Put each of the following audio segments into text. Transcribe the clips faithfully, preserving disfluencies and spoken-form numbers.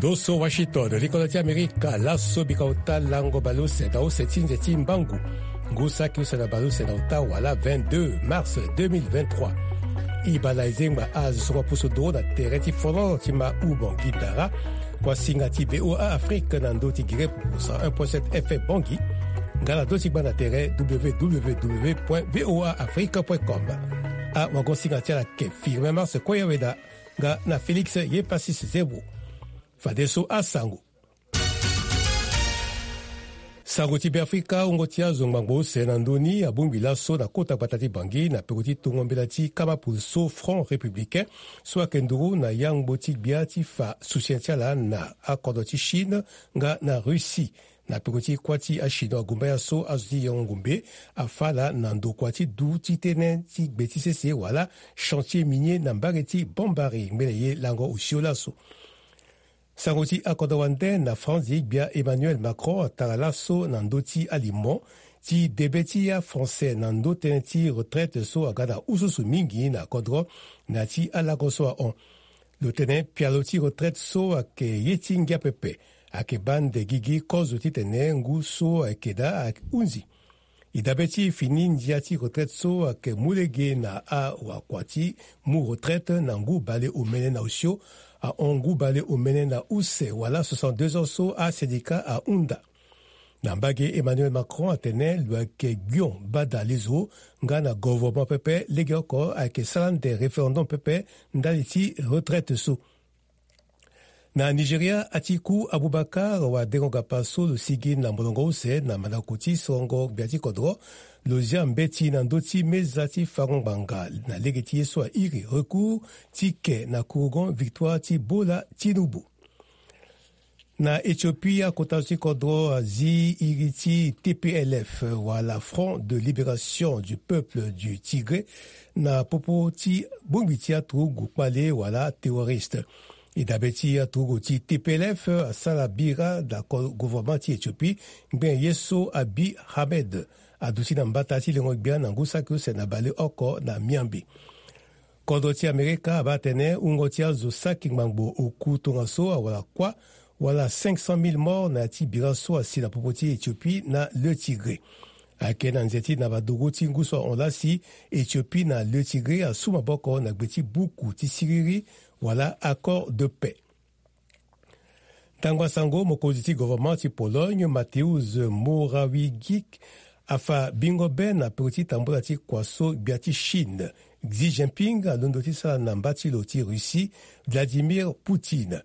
Oso Washington, likolo ti Amerika, laso bika ota lango baleuse na use ti nze ti mbangu. Ngu saki use na baleuse na ota wala vingt-deux mars deux mille vingt-trois. E baa na e zengba azo so ma pusu nduru na tere ti fono ti ma u Bangui Dara. Kuasinga ti V O A Afrique na ndö ti Guinée Puku cent un point sept F M Bangui. Nga na ndö ti gbanda tere W W W point V O A Afrique point com. Awagosinga ti ala ake Firmin Mars Koyaweda nga na Félix Yepasis Zebro. Fadeso asango. Sango ti Beafrika, wungo ti azo ngbangbo use na ndö ni abongbi laso na kota gbata ti Bangui na peko ti tongo mbela ti kama pulso Front Républicain so ayeke nduru na yangbo ti gbia ti fa soutien ti ala na akodro ti Chine nga na Russie. Na peko ti kuâ ti achinois gumbaya so azo ti yengo ngumbe afa ala na ndokua ti du ti tënë ti gbe ti sese wala chantier minier na mbage ti Bambari ngbene ye lango osio laso. Sango ti akodro wande na France, gbia Emmanuel Macron atara laso na ndö ti alimo ti debe ti aFrançais na ndö tënë ti retraite so aga na ususu mingi na kodro na ya ti alango so ahon. Lo tene pialo ti retraite so ayeke ye ti ngia pepe, ayeke baa nde gigi kozo titene ngu so ayeke daa ahunzi. E dabe ti fini ndia ti retraite so ayeke mu lege na awakua ti mu retraite na ngu bale omene na osio, ahon ngu bale omene na use wala soixante-deux ans so asyndicat ahunda. Na mbage, Emmanuel Macron atene lo yeke gbion bada lezo nga na govornement pepe, legeoko ayeke sara nde référendum pepe ndali ti retraite so. Na Nigeria, Atiku Abubakar wadengo gapa so lo sigi na molongo use na mandako ti sorongo gbia ti kodro, lo zia mbeti na ndö ti meza ti fango ngbanga na lege ti ye so airi recours ti ke na kurugon victoire ti Bola Tinubu. Na Éthiopie, akota zo ti kodro azi iri ti T P L F wala Front de Libération du Peuple du Tigré na popo ti bongbi ti aturugu kpale wala terroriste. E dabe ti aturugu ti T P L F asara bira na ko-, gouvernement ti Éthiopie ngbene ye so Abiy Ahmed aduti na mbata ti lengo gbia na ngu saki use na baleoko na miambe. Kodro ti Amerika abaa atene wungo ti azo saki ngbangbo oku tongaso awara kuâ wala cinq cent mille morts na ya ti bira so asi na popo ti Éthiopie na le Tigré. Ayeke na nze ti na badogo ti ngu so ahon lasi, Éthiopie na le Tigré asu maboko na gbe ti buku ti siriri wala accord de paix. Ntango asango, mokonzi ti gouvernement ti Pologne, Mateusz Morawiecki, afa bingo be na peko ti tambula ti kua so gbia ti Chine, Xi Jinping, alondo ti sara na mba ti lo ti Russie, Vladimir Poutine.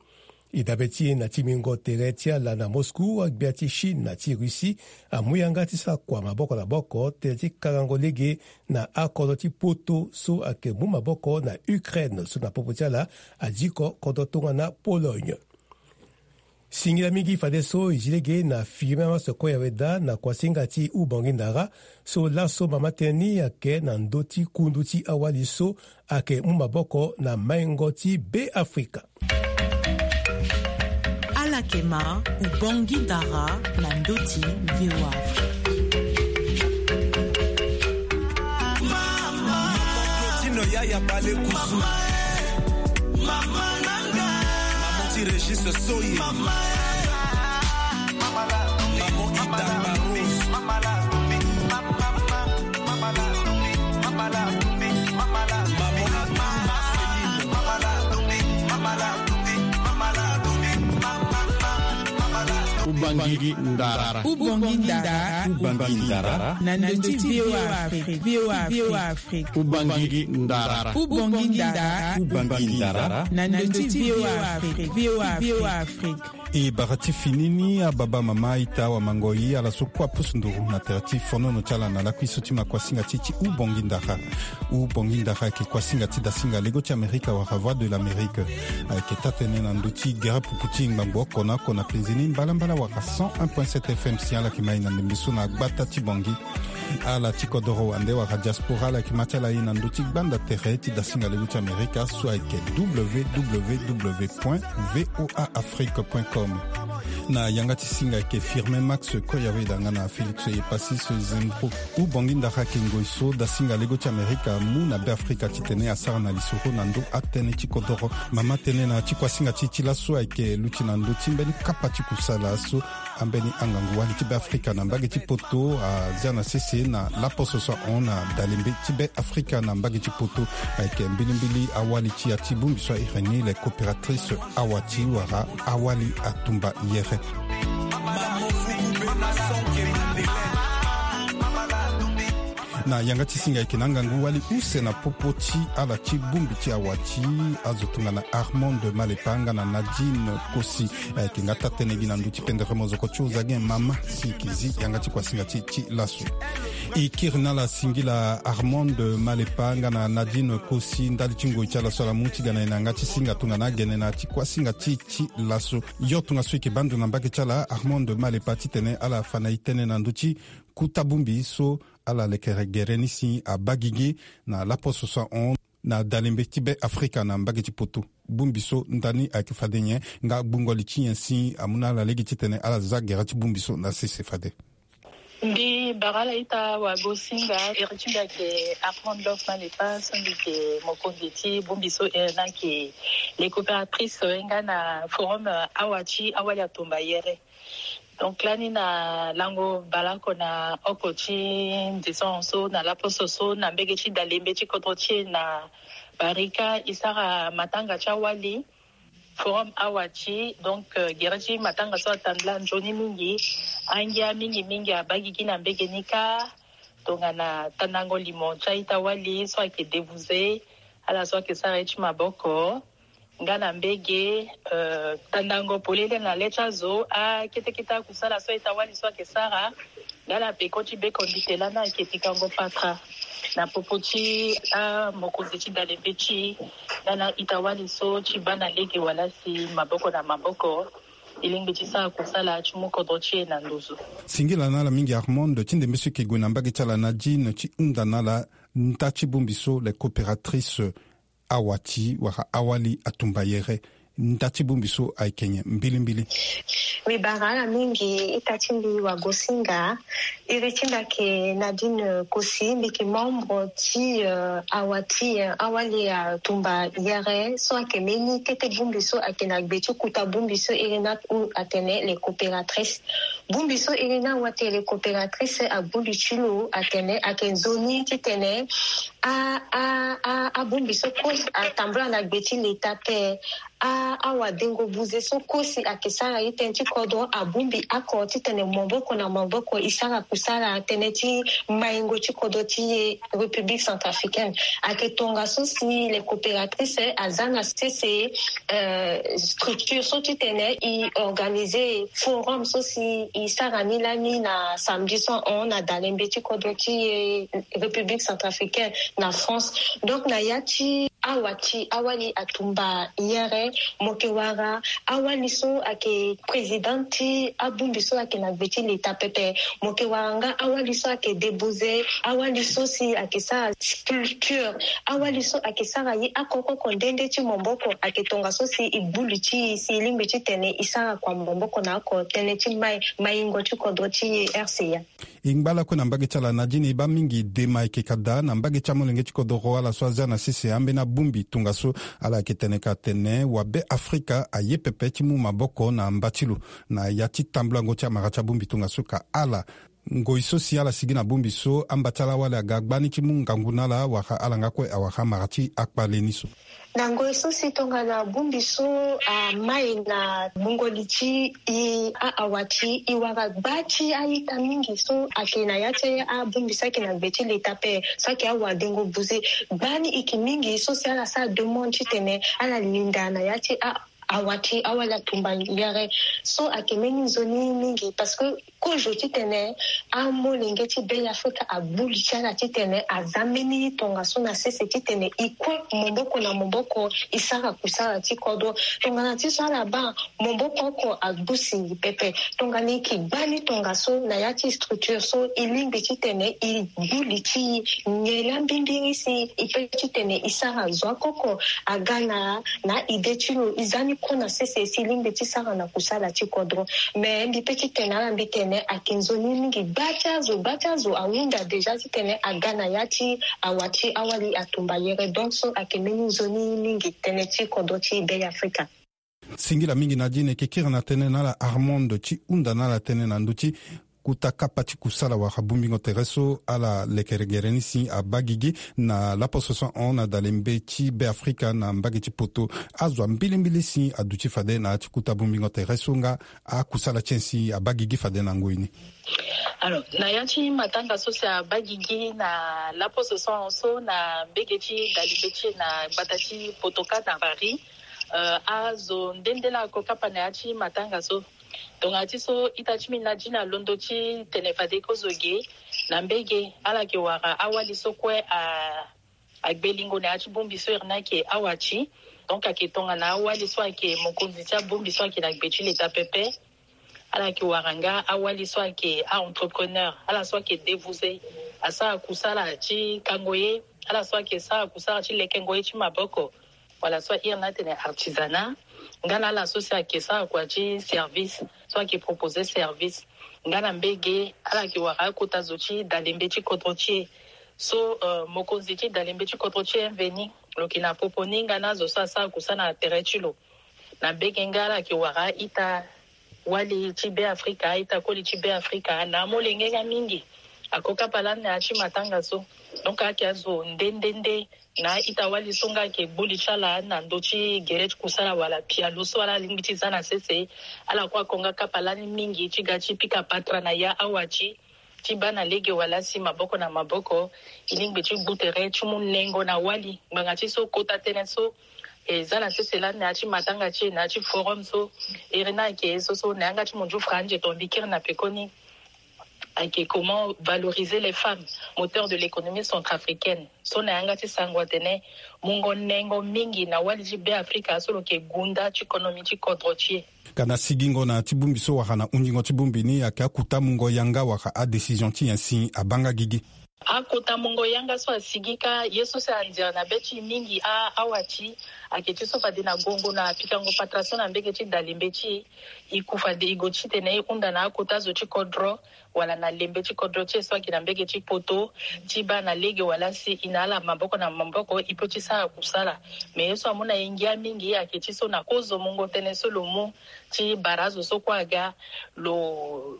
E dabe ti e na timbingo tere ti ala na Moscou, agbia ti Chine na ti Russie amu yanga ti sara kua maboko na maboko tënë ti kangango lege na akodro ti poto so ayeke mu maboko na Ukraine so na popo ti ala adiko kodro tongana Pologne. Singila mingi fadeso e zi lege na Firmin Mars Koyaweda na kuasinga ti Ubongi Ndara so laso mama tënë ni ayeke na ndö ti kundu ti awali so ayeke mu maboko na maingo ti Beafrika. Ala yeke ma Ubongi Ndara na ndö ti V O A Afrique. Tino yaya bale kusu. Maman ti Régis Soye. Maman Ida Barros. Ubangi Ndara. Ubangi Ndara. Ubangi Ndara. Na ndö ti V O A Afrique. V O A Afrique. Ubangi Ndara. Ubangi Ndara. Ubangi Ndara. Na ndö ti V O A Afrique. V O A Afrique. E bara ti fini ni, ababa, mama, ita, awamango, e, ala so kue apusu nduru na tere ti fonono ti ala na lakui so ti ma kuasinga ti e ti Ubongi Ndara. Ubongi Ndara ayeke kuasinga ti dasinga lego ti Amerika wala Voix de l'Amérique. Ayeke taa-tënë na ndö ti gere pupu ti ngbangbo oko na oko na penze ni mbalambala wala cent un point sept F M si ala yeke ma e na ndembe so na gbata ti Bangui. Ala ti kodoro wande wala diaspora, ala yeke ma ti ala e na ndö ti gbanda tere ti dasinga lego ti Amerika so ayeke W W W point V O A Afrique point com. Na yanga ti singa ayeke Firmin Max Koyaweda nga na Félix Epasis Zembro. Hubongi ndara ayeke ngoi so dasinga lego ti Amerika amu na Beafrika titene asara na lisoro na ndö atënë ti kodoro. Mama tënë na ti kuasinga ti e ti laso ayeke luti na ndö ti mbeni kapa ti kusala so ambeni angangu wali ti Beafrika na mbage ti poto azia na sese na laposo so ahon na dalembe ti Beafrika na mbage ti poto. Ayeke mbilimbili awali ti ya ti bongbi so a iri ni le coopératrice Awati wala Awali Atumba Yere. Na yanga ti singa ayeke na angangu wali use na popo ti ala ti bongbi ti Awati, azo tongana Armand Malepa nga na Nadine Kosi. Ayeke nga taa-tënë gi na ndö ti pendere mozoko ti oza ge mama si e yeke zi yanga ti kuasinga ti e ti laso. E kiri na ala singila Armand Malepa nga na Nadine Kosi ndali ti ngoi ti ala so ala mu ti ga na e na yanga ti singa tongana agene na ya ti kuasinga ti e ti laso. Yo tongaso e yeke baa ndo na mbage ti ala Armand Malepa titene ala fa na e tënë na ndö ti kuta bongbi so ala lekere gere ni si abaa gigi na laposo so ahon na dalembe ti Beafrika na mbage ti poto. Bongbi so ndani ayeke fade nyen nga gbungo li ti nyen si amu na ala lege titene ala za gere ti bongbi so na sese fade? Mbi bara ala ita wagosinga. Iri ti mbi ayeke Armand Love Malepa so mbi yeke mokonzi ti bongbi so iri ni ayeke les coopératrices nga na forum Awati Awali Atumba Yere. Donc lani na lango baleoko na oko ti ndison so na laposo so na mbage ti dalembe ti kodro ti e na Barika e sara matanga ti awali forum Awati. Donc euh, gere ti matanga so atambula nzoni mingi. Angia mingi mingi abaa gigi na mbage ni kâ tongana tandango limo ti a-ita wali so ayeke débouze ala so ayeke sara ye ti maboko nga na mbage euh, tandango polele na le ti azo akete kete akusala so a-ita wali so ayeke sara nga na peko ti beko ndite lani ayeke pikango patra na popo ti amokonzi ti dalembe ti e nga na a-ita wali so ti baa na lege wala si maboko na maboko e lingbi ti sara kusala ti mu kodro ti e na nduzu. Singila na ala mingi Armand ti ndembe so e yeke gue na mbage ti ala Nadine ti hunda na ala nda ti bongbi so les coopératrices Awati wala Awali Atumba Yere. Nda ti bongbi so ayeke nyen mbilimbili? Mbi bara ala mingi ita ti mbi wagosinga. Iri ti mbi ayeke Nadine Kosi, mbi yeke membre ti euh, Awati euh, Awali Atumba Yere so ayeke mbeni kete bongbi so ayeke na gbe ti kuta bongbi so iri ni atene les coopératrices. Bongbi so iri ni awa ti les coopératrices agbu li ti lo atene ayeke nzoni titene a a a abongbi so kue atambula na gbe ti leta ape. A awadengo buze so kue si ayeke sara ye tënë ti kodro abongbi oko titene maboko na maboko e sara kusala tënë ti maingo ti kodro ti e République centrafricaine. Ayeke tongaso si les coopératrices aza na sese euh, structure so titene e organiser forum so si e sara ni lani na samedi so ahon na dalembe ti kodro ti e République centrafricaine na France. Donc na ya ti Awati Awali Atumba Yere, mo yeke wara awali so ayeke présidente ti abongbi so ayeke na gbe ti leta pepe. Mo yeke wara nga awali so ayeke débouze, awali so si ayeke sara sculpture, awali so ayeke sara ye oko oko nde nde ti maboko. Ayeke tongaso si e gbu li ti e si e lingbi titene e sara kua maboko na oko tënë ti mai maingo ti kodro ti e R C A. E ngba lakue na mbage ti ala Nadine, e baa mingi dema ayeke ka daa na mbage ti amolenge ti kodoro ala so azia na sese ambeni abongbi tongaso. Ala yeke tene ka tene wabe Afrika aye pepe ti mu maboko na mba ti lo na ya ti tambulango ti amara ti abongbi tongaso ka ala ngoi so si ala sigi na bongbi so amba ti ala wali aga gbani ti mu ngangu na ala wala ala nga kue awara amara ti akpale ni so. Na ngoi so si tongana bongbi so amai na gbungo li ti e a-awa ti e wara gba ti a-ita mingi so ayeke na ya ti abongbi so ayeke na gbe ti leta ape so ayeke awadengo buze. Gbani e yeke mingi so si ala sara demande titene ala linda na ya ti a-awa ti awali atumba yere so ayeke mbeni nzoni mingi parce que kozo titene amolenge ti Bêafrika agbu li ti ala titene aza mbeni tongaso na sese titene e kue maboko na maboko e sara kusala ti kodro. Tongana ti so ala baa maboko oko agbu singi pepe. Tongana e yeke gbani tongaso na ya ti structure so e lingbi titene e gbu li ti e nyen laa mbimbiri si e pe titene e sara zo oko oko aga na na ide ti lo e za ni Kue na sese si lingbi ti sara na kusala ti kodro. Me mbi pe ti tene ala mbi tene ayeke nzoni mingi. Gba ti azo, gba ti azo ahunda deja titene aga na ya ti awa ti awali atumba yere. Donc so ayeke mbeni nzoni mingi tënë ti kodro ti Be Afrika. Singila mingi na dini eke kiri na tënë na ala Armand ti hunda na ala tënë na ndö ti kota kapa ti kusala wala bongbingo tere so ala lekelegere ni si abaa gigi na laposo so ahon na dalembe ti Be Afrika na mbage ti poto. Azo ambilimbili si aduti fade na ya ti kota bongbingo tere so nga akusala ti nyen si abaa gigi fade na ngoi ni. Alors, na ya ti matanga so si abaa gigi na laposo so ahon so na mbage ti dalembe ti e na gbata ti poto kâ na Paris. Euh, azo nde nde laa ako kapa na ya ti matanga so. Tongana ti so ita ti mbi na dina alondo ti tene fade kozo ge na mbage ala yeke wara awali so kue a agbe lingo na ya ti bongbi so iri ni ayeke awa ti. Donc ayeke tongana awali so ayeke mokonzi ti abongbi so ayeke na gbe ti leta pepe. Ala yeke wara nga awali so ayeke a-entrepreneur, ala so ayeke dévoué, asara kusala ti kango ye, ala so ayeke sara kusala ti lekengo ye ti maboko, wala so iri ni atene artisanat. Nga na ala so si ayeke sara kua ti service, so ayeke proposer service. Nga na mbage ala yeke wara akota zo ti dalembe ti kodro ti e. So, euh, mokonzi ti dalembe ti kodro ti e mveni lo yeke na popo ni nga na azo so asara kusala na tere ti lo. Na mbage nga ala yeke wara a-ita wali ti Be Afrika, a-ita koli ti Be Afrika na amolenge nga mingi. Ako kapa lani na ya ti matanga so. Donc ayeke azo nde nde nde na a-ita wali so nga ayeke gbu li ti ala na ndö ti gere ti kusala wala pialo so ala lingbi ti za na sese. Ala kue ako nga kapa lani mingi ti ga ti pika patara na ya awa ti ti baa na lege wala si maboko na maboko. E lingbi ti gbu tere ti mu nengo na wali ngbanga ti so kota tënë so e za na sese lani na ya ti matanga ti e na ya ti forum so. Iri ni ayeke so so na yanga ti munzu franzi tongana mbi kiri na pekoni. Ayeke comment valoriser les femmes, moteur de l'économie centrafricaine. So na yanga ti sango atene mungo nengo mingi na wali ti Be Afrika so lo yeke gunda ti konomi ti kodro ti e. Ka na sigingo na ti bongbi so wala na hundingo ti bongbi ni ayeke akota mungo yanga wala adécision ti nyen si abaa nga gigi. Akota mungo yanga so asigi kâ ye so si anzere na be ti e mingi a awa ti ayeke ti so fade na gongo na pikango patara so na mbage ti dalembe ti e. E ku fade e gue titene e hunda na akota zo ti kodro wala na lembe ti kodro ti e so ayeke na mbage ti poto ti baa na lege wala si e na ala maboko na maboko e peut ti sara kusala. Me ye so amu na e ngia mingi ayeke ti so na kozo mungo tënë so lo mu ti bara azo so kue aga lo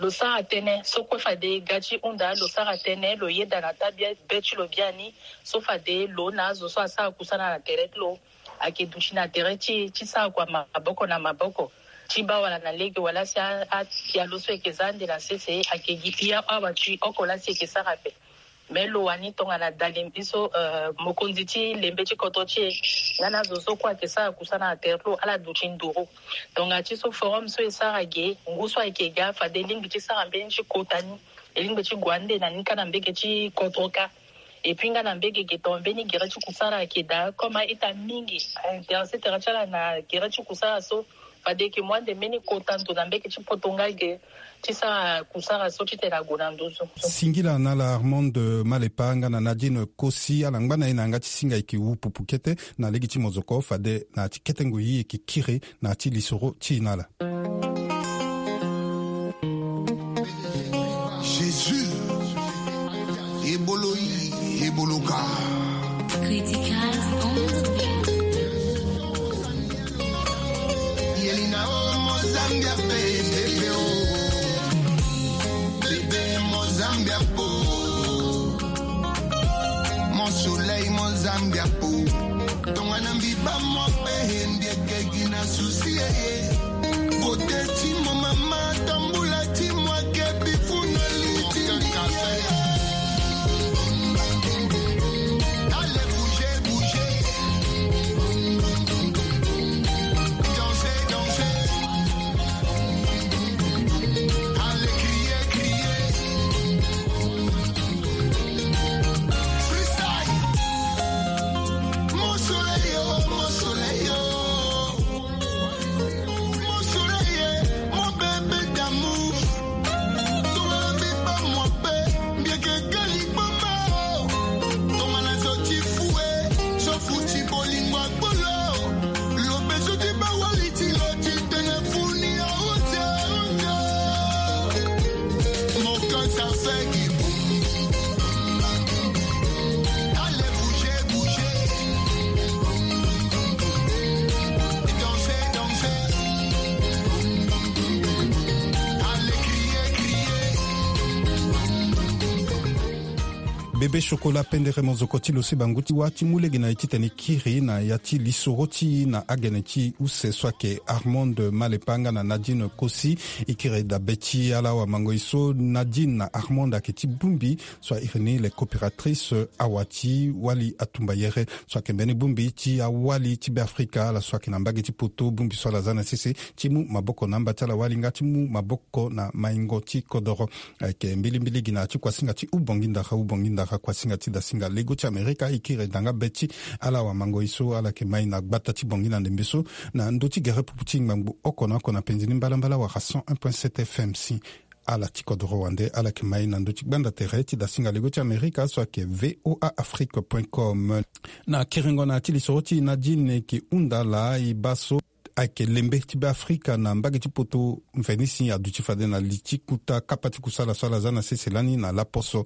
lo sara tënë so kue fade ga ti hunda lo sara tënë lo yeda na taa be ti lo biani so fade lo na azo so asara kusala na tere ti lo ayeke duti na tere ti e ti sara kua maboko na maboko ti baa wala na lege wala si a- apialo so e yeke za ande na sese ayeke gi pia awa ti oko laa si e yeke sara ape. Me lo wani tongana dalembe so euh, mokonzi ti lembe ti kodro ti e nga na azo so kue ayeke sara kusala na tere ti lo ala duti nduru. Tongana ti so forum so e sara ge ngu so ayeke ga fade e lingbi ti sara mbeni ti kota ni. E lingbi ti gue ande na ni kâ na mbage ti kodro kâ. Et puis nga na mbage ge tongana mbeni gere ti kusala ayeke daa comme a-ita mingi a-intéressé tere ti ala na gere ti kusala so. Fade e yeke mu ande mbeni kota ndo na mbage ti poto nga ge ti sara kusala so titene ague na nduzu. Singila na ala Armand Malepa nga na Nadine Kosi ala ngba na e na yanga ti singa e yeke wu pupu kete na lege ti mozoko fade na ya ti kete ngoi e yeke kiri na ya ti lisoro ti e na ala. Jésus, ebolo yi, ebolo ka. Critical on the beat. Yelina o mo Zambia pe bebe o. Bebe mo Zambia po. Mon soleil mo Zambia po. Tongana mbi baa mo pe he mbi yeke gi na souci e. Vote ti mo mama, tambula ti mo ake bifu na li ti mbi. Allez bouger, bouger. Danser, danser. Allez crier, crier. Freestyle. Mon soleil, oh, mon soleil, oh. Mon soleil, eh, mon bébé, E be chocolat pendere mozoko ti lo si bangu ti wâ ti mu lege na e titene e kiri na ya ti lisoro ti e na agene ti use so ayeke Armand Malepa nga na Nadine Kosi. E kiri dabe ti ala awamango e so Nadine na Armand ayeke ti bongbi so a iri ni les coopératrices awa ti wali atumbayere so ayeke mbeni bongbi ti awali ti Beafrika ala so ayeke na mbage ti poto, bongbi so ala za na sese ti mu maboko na amba ti ala wali nga ti mu maboko na maingo ti kodoro. Ayeke mbilimbili gi na ya ti kuasinga ti ubongi ndara ubongi ndara kuasinga ti dasinga lego ti Amerika. E kiri danga be ti ala awamango e so ala yeke mai na gbata ti Bangui na ndembe so na ndö ti gere pupu ti ngbangbo oko na oko na penzi ni mbalambala wala cent un point sept F M si ala ti kodoro wande ala yeke mai na ndö ti gbanda tere ti dasinga lego ti Amerika so ayeke V O A Afrique point com. Na kiringo na ya ti lisoro ti e Nadine e ke hunda laa e baa so ayeke lembe ti Beafrika na mbage ti poto mveni si aduti fade na li ti kuta kapa ti kusala so ala za na sese lani na laposo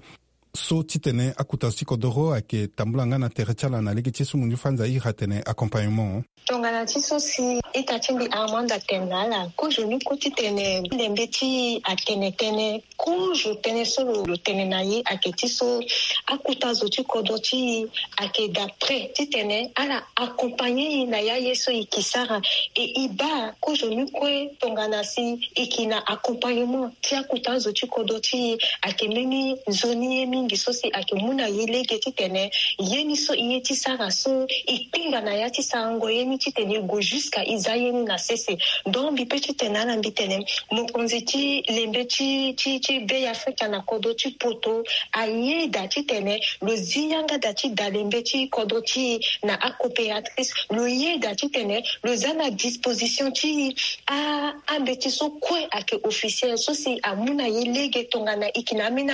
so titene akuta zo ti kodoro ayeke tambula nga na tere ti ala na lege ti e so munzu fanza iri atene accompagnement. Tongana ti so si ita ti mbi Armand atene na ala, kozoni kue titene lembe ti e atene tënë. Kozo tënë so lo, lo tene na e ayeke ti so akuta zo ti kodro ti e ayeke d'après titene ala accompagner e na ya ye so e ke sara. E e baa kozoni kue tongana si e ke na accompagnement ti akuta zo ti kodro ti e ayeke mbeni nzoni ye mingi so si ayeke mu na e lege titene ye ni so e ye ti sara so e kpingba na ya ti sarango ye ni titene e gue jusqu'à e za ye ni na sese. Donc mbi pe titene ala mbi tene mokonzi ti lembe ti, ti, ti Beafrika na kodro ti poto ayeda titene lo zi yanga da ti dalembe ti kodro ti e na acoopératrice, lo yeda titene lo za na disposition ti e a, ambeti so kue ayeke officiel so si amu na e lege tongana e ke na ambeni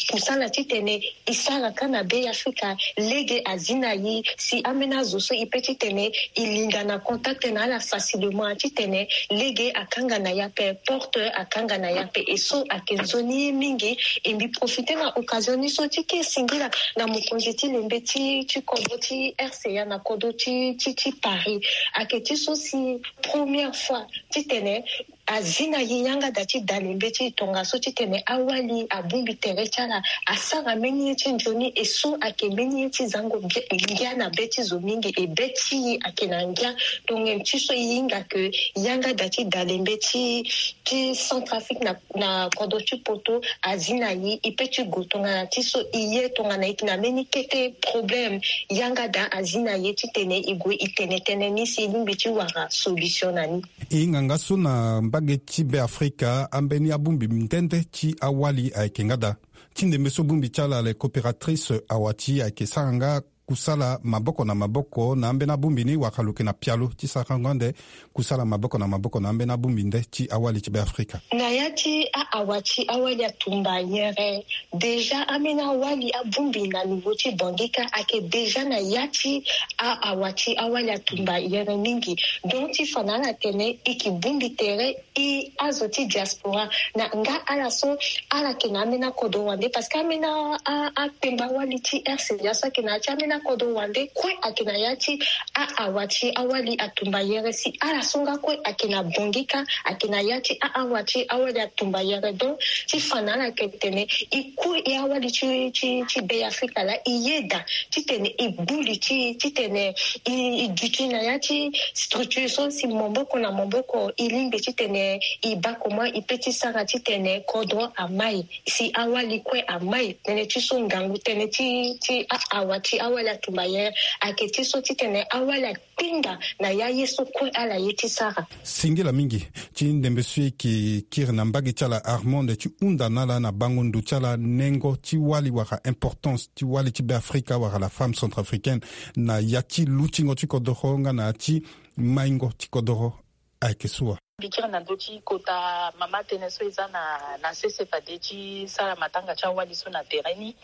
akusala titene e sara ka na Beafrika, lege azi na e si ambeni azo so e pe titene e linda na contact na ala facilement titene lege akanga na e ape, porte akanga na e ape. E so ayeke nzoni ye mingi. E mbi profiter na occasion ni so ti ke singila na mokonzi ti lembe ti, ti kodro ti R C A na kodro ti, ti, ti Paris. Ayeke ti so si première fois titene azi na e yanga da ti dalembe ti e tongaso titene awali abongbi tere ti ala, asara mbeni ye ti nzoni. E so ayeke mbeni ye ti zango ngia, ngia na be ti zo mingi, e be ti e ayeke na ngia. Tongana ti so e hinga ke yanga da ti dalembe ti, ti Centrafrique na, na kodro ti poto azi na e, e pe ti gue tongana ti so e ye tongana e yeke na mbeni kete problème, yanga da azi na e titene e gue e tene tënë ni si e lingbi ti wara solution na ni. E hinga nga so na mbage ti Beafrika ambeni abongbi nde nde ti awali ayeke nga daa. Ti ndembe so bongbi ti ala les coopératrices awa ti e ayeke sara nga kusala maboko na maboko na ambeni abongbi ni wala lo yeke na pialo ti sarango ande kusala maboko na maboko na ambeni abongbi nde ti awali ti Beafrika. Na ya ti a-awa ti awali atumba yere, déjà ambeni awali abongbi na niveau ti Bangui ka ayeke déjà na ya ti a-awa ti awali atumba yere mingi. Donc ti fa na ala tene e ke bongbi tere e azo ti diaspora na nga ala so ala yeke na ambeni akodro wande, parce que ambeni a, a, akpengba wali ti R C A so ayeke na ya ti ambeni akodro wande kue ayeke na ya ti a-awa ti awali atumba yere si ala so nga kue ayeke na Bangui ka ayeke na ya ti a-awa ti awali atumba yere. Donc ti fa na ala yeke tene e kue e awali ti, ti, ti Beafrika laa e yeda titene e buli ti, titene e, e duti na ya ti structure so si maboko na maboko e lingbi titene e baa comment e pe ti sara titene kodro amai, si awali kue amai. Tënë ti so ngangu tënë ti, ti a-awa ti awali atumba yere ayeke ti so titene awali akpinga na ya ye so kue ala ye ti sara. Singila mingi ti ndembe so e ke kiri na mbage ti ala Armand ti hunda na ala na bango ndo ti ala nengo ti wali wala importance ti wali ti Beafrika wala la femme centrafricaine na ya ti lutingo ti kodoro nga na ya ti maingo ti kodoro. Ayeke so wa. Mbi kiri na ndö ti kota mama tënë so e za na, na sese fade ti sara matanga ti awali so na tere ni.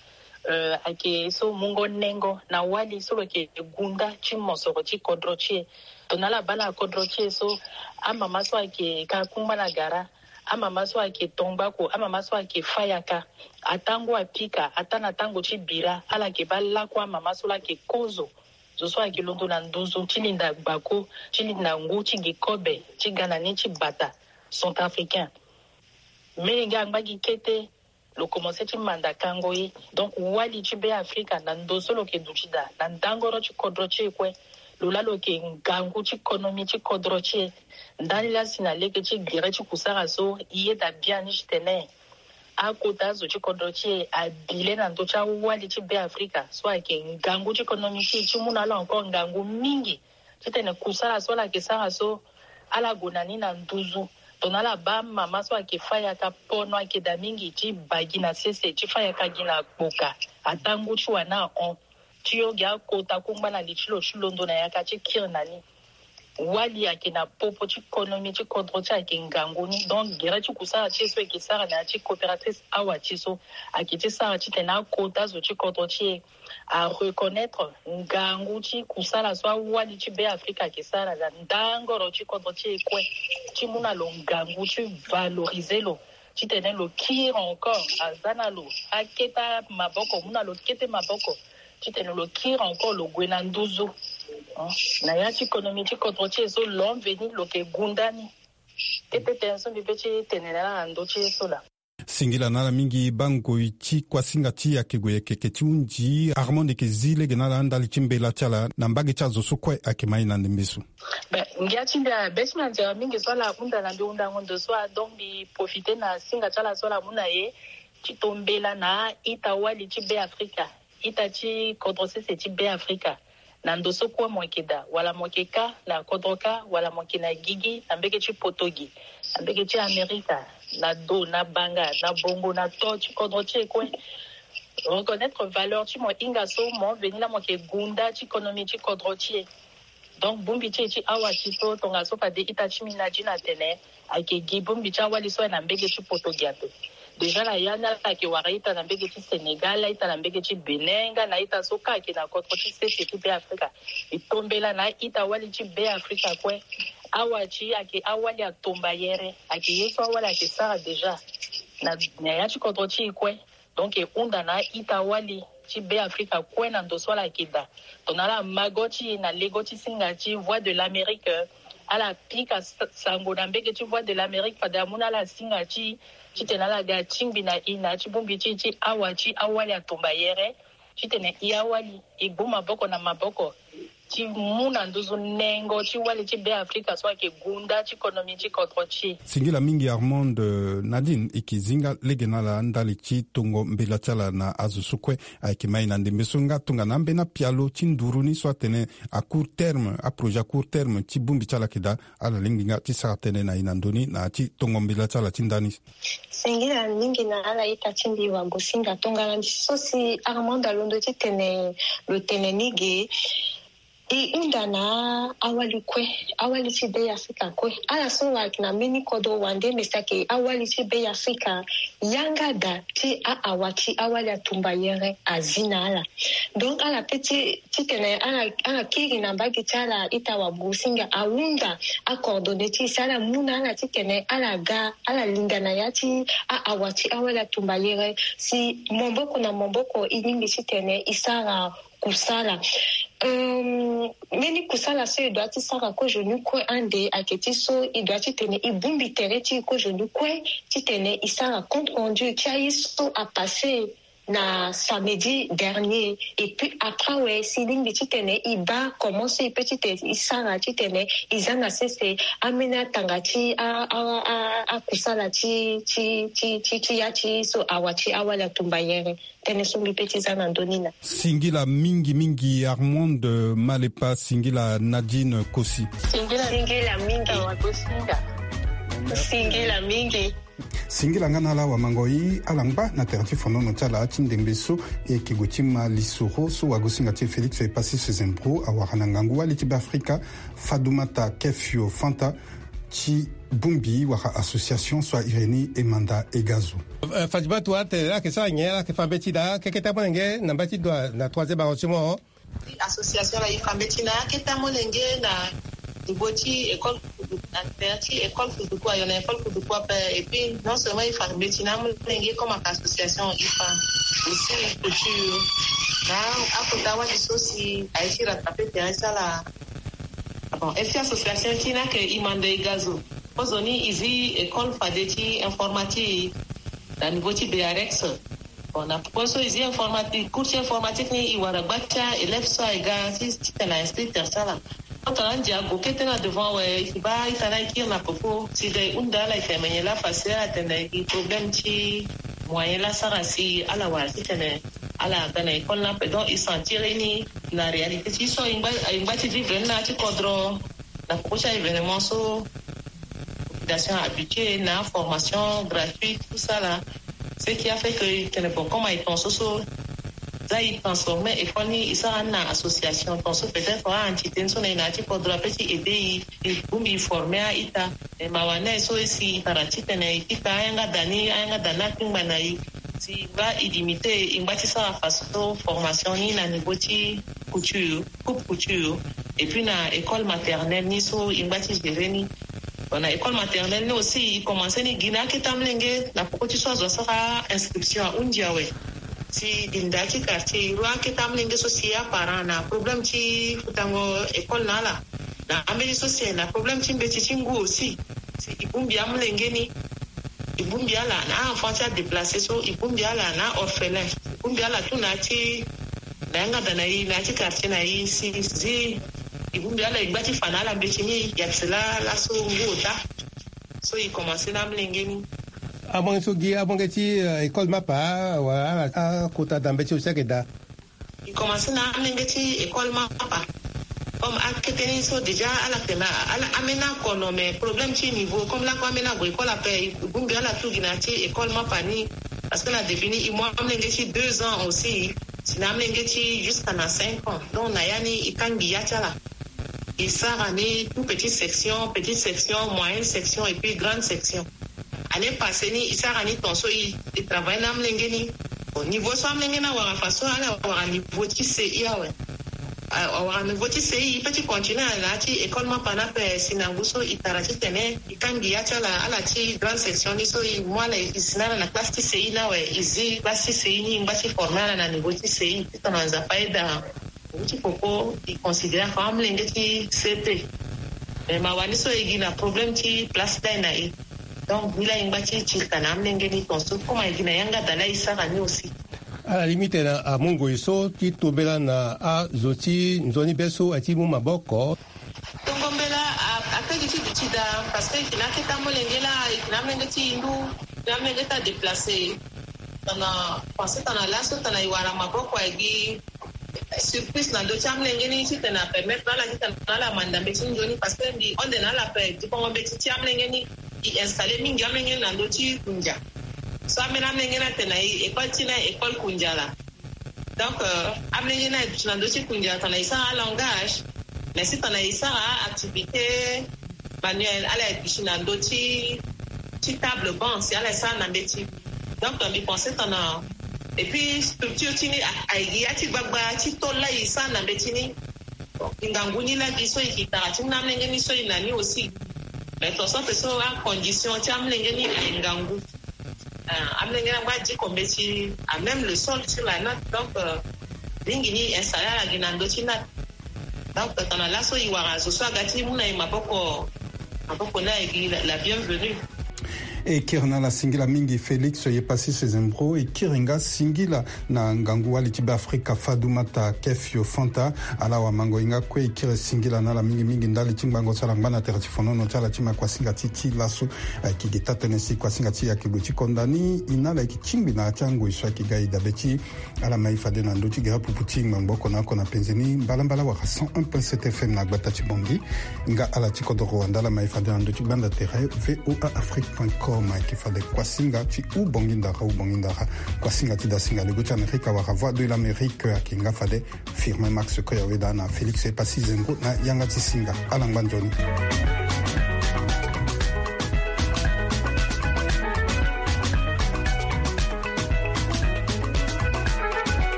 Euh, ayeke so mungo nengo na wali so lo yeke gunda ti mosoro ti kodro ti e. Tongana ala baa na kodro ti e so, amama so ayeke ka kungba na gara, amama so ayeke tongbako, amama so ayeke fâ yaka, atango apika, ataa na tango ti bira, ala yeke baa lakue amama so laa ayeke kozo. Zo so ayeke londo na nduzu ti linda gbako, ti linda ngu, ti gi kobe, ti ga na ni ti bata, centrafricain. Melenge angba gi kete, Lo komanse ti manda kango ye. Donc wali ti Be Afrika na ndo so lo yeke duti daa na ndangoro ti kodro ti e kue. Lo laa lo yeke ngangu ti konomi ti kodro ti e. Ndani laa si na lege ti gere ti kusara so, e yeda biani titene akota azo ti kodro ti e abi le na ndö ti awali ti Be Afrika so ayeke ngangu ti konomi ti e ti mu na ala encore ngangu mingi. Titene kusala so ala yeke sara so, ala gue na ni na nduzu. Tongana ala baa mama so ayeke fâ yaka, pono ayeke daa mingi ti baa gi na sese, ti fâ yaka gi na kpoka, ataa ngu ti wani ahon. Ti yo gi akota kungba na li ti lo ti londo na yaka ti kiri na ni. Wali ayeke na popo ti konomi ti kodro ti e ayeke ngangu ni. Donc gere ti kusala ti e so e yeke sara na ya ti coopératrice awa ti e so, ayeke ti sara titene akota zo ti kodro ti e areconnaître ngangu ti kusala so awali ti Be Afrika ayeke sara na ndangoro ti kodro ti e kue, ti mu na lo ngangu ti valoriser lo, titene lo kiri encore, aza na lo akete maboko, mu na lo kete maboko, titene lo kiri encore, lo gue na nduzu. Hein? Na ya ti konomi ti kodro ti e so, lo mveni lo yeke gunda ni. Kete tënë so mbi pe ti tene na ala na ndö ti e so laa. Singila na ala mingi baa ngoi ti kuasinga ti e ayeke gue yeke yeke ti hunzi. Armand yeke zi lege na ala ndali ti mbela ti ala na mbage ti azo so kue ayeke ma e na ndembe so. Ben, ngia ti mbi abe ti mbi anzere mingi so ala hunda na mbi hundango ndo so a, donc mbi profite na singa ti ala so ala mu na e ti to mbela na a-ita wali ti Be Afrika, ita ti kodro sese ti Be Afrika. Na ndo so kue mo yeke daa, wala mo yeke kâ na kodro kâ, wala mo yeke na gigi, na mbege ti poto gi, na mbege ti Amerika, na do, na banga, na bongo, na to ti kodro ti e kue. Reconnaître valeur ti mo hinga so mo veni laa mo yeke gunda ti konomi ti kodro ti e. Donc bongbi ti e ti awa ti so, tongaso fade ita ti mbi Nadine atene, ayeke gi bongbi ti awali so aye na mbege ti poto gi ape. Déjà na ya ni ala yeke wara ita na mbege ti Sénégal, ita na mbege ti Bénin, nga na ita so kâ ayeke na kodro ti sese ti Be Afrika. E to mbela na a-ita wali ti Be Afrika kue. Awa ti e ayeke awali atombayere, ayeke ye so awali ayeke sara déjà na, na ya ti kodro ti e kue. Donc e hunda na a-ita wali ti Be Afrika kue na ndo so ala yeke daa. Tongana ala ma go ti e na lego ti singa ti Voix de l'Amérique, ala pika sa-, sango na mbege ti Voix de l'Amérique fade amu na ala singa ti e, titene ala ga tingbi na e na ya ti bongbi ti e ti awa ti awali atombayere, titene e awali e gbu maboko na maboko ti mu na nduzu nengo ti wali ti Be Afrika so ayeke gunda ti konomi ti kodro ti e. Singila mingi Armand. Eh, Nadine, e yeke zi nga lege na ala ndali ti tongo mbela ti ala na azo so kue ayeke ma e na ndembe so, nga tongana ambeni apialo ti nduru ni so atene à court terme, aprojet à court terme ti bongbi ti ala ayeke daa, ala lingbi nga ti sara tënë na e na ndö ni na ya ti tongo mbela ti ala ti ndani. Singila mingi na ala ita ti mbi wagosinga. Tongana so si Armand alondo titene lo tene ni ge, e hunda na awali kue, awali ti Be Afrika kue. Ala so ayeke na mbeni kodro wande, me si ayeke awali ti Be Afrika, yanga daa ti a-awa ti awali atumbayere azi na ala. Donc ala pe ti titene ala, ala kiri na mbage ti ala ita wagosinga ahunda acoordonné ti e si ala mu na ala titene ala ga, ala linga na ya ti a-awa ti awali atumbayere si maboko na maboko e lingbi titene e sara kusala. Euh, mbeni kusala so e doit ti sara kozoni kue ande ayeke ti so e doit titene e bongbi tere ti e kozoni kue titene e sara compte rendu ti aye so apasse na samedi dernier. Et puis après awe si e lingbi titene e baa comment so e peut titene e sara titene e za na sese ambeni atanga ti a, a, a, akusala ti, ti, ti, ti, ti ya ti so awa ti awali atumbayere. Tënë so mbi pe ti za na ndö ni laa. Singila mingi mingi Armand Malepa, singila Nadine Kosi. Singila mingi. Singila mingi. Singila nga na ala wamangoi, ala ngba na tere ti fonono ti ala ti ndembe so. E yeke gue ti ma lisoro so wagosinga ti e Félix Epassi Sezembro awara na ngangu wali ti Be Afrika, Fatoumata Kefio Fanta, ti bongbi wala association so a iri ni Emanda Egazo. Eh, Fatoumata, atene ala yeke sara nyen, ala yeke fa mbeti daa, keke ti amolenge na mbeti dua na troisième arrondissement. Association la e fa mbeti na akete amolenge na niveau ti école, na tere ti école kuduku, ayo na école kuduku ape. Et puis non seulement e fa mbeti na amolenge comme aka association, e fa aussi culture na akota wali so si aye ti rattraper tere ti ala. Ah bon, e fi association ti ni ayeke Emanda Egazo. Kozoni e zi école fade ti informatique. na niveau ti B R X. Bon, na poko so e zi informatique, cours ti informatique ni e wara gba ti a-élève so aye ga ti titene a institut tertiaire ala. Tongana ndia ague kete na devant awe, e ke baa ita ni aye kiri na poko si e ga e hunda ala, e ke mene laa faciler ala tene e gi problème ti moyen laa asara si ala wara titene ala ga na école ni ape. Donc e sentir ye ni na réalité ti so e ngba, e ngba ti vivre ni na ya ti kodro. Na poko ti a-événement so population habituée na formation gratuite, tout ça là, ce qui a fait que e tene bon, comme aye ton so so, za e transformer école ni, e sara ni na association, ton so peut-être a-entité ni so na e na ya ti kodro ape ti aider e, e bongbi e former a-ita. E mawa ni aye so e si e tara titene e kita ayanga da ni, ayanga da ni akpingba na e. Si e ngba e limiter, e ngba ti sara façon formation ni na niveau ti couture, coupe couture, et puis na école maternelle ni so e ngba ti gérer ni. Bon, na école maternelle ni aussi e commencer ni gi na akete amolenge na poko ti so azo asara inscription ahundi awe. Si e gi na ya ti quartier e rua akete amolenge so si aparent na problème ti futango école na ala, na ambeni so si aye na problème ti mbeti ti ngu aussi, si e bongbi amolenge ni, e bongbi ala na a-enfant ti adéplacé so, e bongbi ala na a-orphelin, e bongbi ala tout na ya ti, na yanga da na e na ya ti quartier na e, si zi e bongbi ala, e ngba ti fa na ala mbeti ni, ya ti laa laso ngu ota. So e commencer na amolenge ni. Amolenge so gi amolenge ti, euh, école mapa, wala ala akota da mbeti so si ayeke daa. E commencer na amolenge ti école mapa. Comme akete ni so déjà ala tene ala ambeni ako, non, mais problème ti niveau, comme lako ambeni ague école ape, e bongbi ala tout gi na ya ti école mapa ni. Parce que na début ni e mu amolenge ti deux ans aussi, si na amolenge ti jusqu'à na cinq ans. Donc na ya ni e kangbi ya ti ala. E sara ni tout petite section, petite section, moyenne section et puis grande section. Année passée ni e sara ni ton so e, e travailler na amolenge ni. Bon, niveau so amolenge ni awara, façon ala wara niveau ti C I awe. A, awara niveau ti C I, e peut ti continuer na ya ti école mapa ni ape, si na ngu so e tara titene e kangbi ya ti ala, ala ti grande section ni so e mu ala e si na ala na classe ti C I ni awe, e zi classe ti C I ni, e ngba ti former ala na niveau ti C I. Titene Nzapa ayeda. Ngu ti poko e considérer comme amolenge ti C P. Mais mawa ni so e gi na problème ti place ti ala na e. Donc ngu laa e ngba ti tirika na amolenge ni ton so, comme e gi na yanga da laa e sara ni aussi. Ala limite na amu ngoi so ti tombela na azo ti nzoni be so aye ti mu maboko. Tongo mbela a, akete ti duti daa, parce que e ke na akete amolenge laa, e ke na amolenge ti hindu, e ke na amolenge ti adéplacé. Tongana pensé tongana laso tongana e wara maboko aye gi surprise na ndö ti amolenge ni titene apermettre na ala titene ala manda mbeti ni nzoni, parce que mbi hon na ala ape, dikongo mbeti ti amolenge ni e installer mingi amolenge ni na ndö ti kundia. So ambeni amolenge ni atene na e école ti e ni aye école kundia laa. Donc, euh, amolenge ni aye duti na ndö ti kundia tongana e sara alangage, mais si tongana e sara activité manuel, ala ye duti na ndö ti, ti table banc, si ala ye sara na mbeti. Donc mbi pensé tongana, et puis structure ti ni a, aye gi ya ti gbagba ti tôle laa e sara na mbeti ni. Bon, e ngangu ni laa gi so e ke tara ti mu na amolenge ni so e na ni aussi. Mais ton so ape so acondition ti amolenge ni aye ngangu. Ah, amolenge ni angba diko mbeti, ah, même le sol sur la natte, donc, euh, mingi ni e installer ala gi na ndö ti natte. Donc tongana laso e wara zo so aga ti mu na e maboko, maboko ni aye gi la, la bienvenue. E kiri na ala singila mingi Félix Yepassis Zembro, e kiri nga singila na ngangu wali ti Beafrika Fatoumata Kefio Fanta. Ala wamango e nga kue, e kiri singila na ala mingi mingi ndali ti ngbanga so ala ngba na tere ti fonono ti ala ti ma kuasinga ti ti laso. Ayeke gi taa-tënë si kuasinga ti e ayeke gue ti konda ni, e na ala e yeke tingbi na ya ti angoi so ayeke ga e dabe ti ala ma e fade na ndö ti gere pupu ti ngbangbo oko na oko na penze ni mbalambala wala cent un point sept F M na gbata ti Bangui. Nga ala ti kodro Rwanda ala ma e fade na ndö ti gbanda tere V O A Afrique point com. Ayeke fade kuasinga ti Ubongi Ndara, Ubongi Ndara. Kuasinga ti dasinga lego ti Amerika wala Voix de l'Amérique ayeke nga fade Firmin Max Koyaweda na Félix Epassi Zengo na yanga ti singa. Ala ngba nzoni.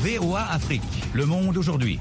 V O A Afrique, le monde aujourd'hui.